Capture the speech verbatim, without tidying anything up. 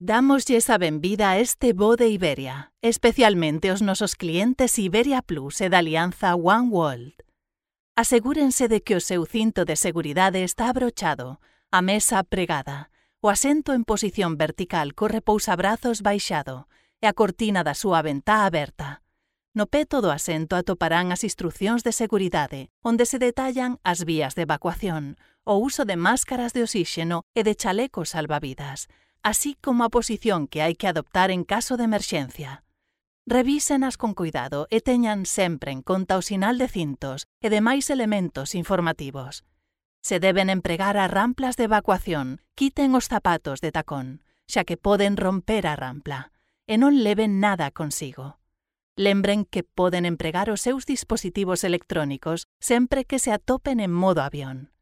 Dámoslles a benvida a este voo de Iberia, especialmente aos nosos clientes Iberia Plus e da alianza One World. Asegúrense de que o seu cinto de seguridade está abrochado, a mesa pregada, o asento en posición vertical co repousabrazos baixado e a cortina da súa ventá aberta. No peto do asento atoparán as instruccións de seguridade, onde se detallan as vías de evacuación, o uso de máscaras de oxíxeno e de chalecos salvavidas, así como a posición que hai que adoptar en caso de emerxencia. Revísenas con cuidado e teñan sempre en conta o sinal de cintos e demais elementos informativos. Se deben empregar as ramplas de evacuación, quiten os zapatos de tacón, xa que poden romper a rampla, e non leven nada consigo. Lembren que poden empregar os seus dispositivos electrónicos sempre que se atopen en modo avión.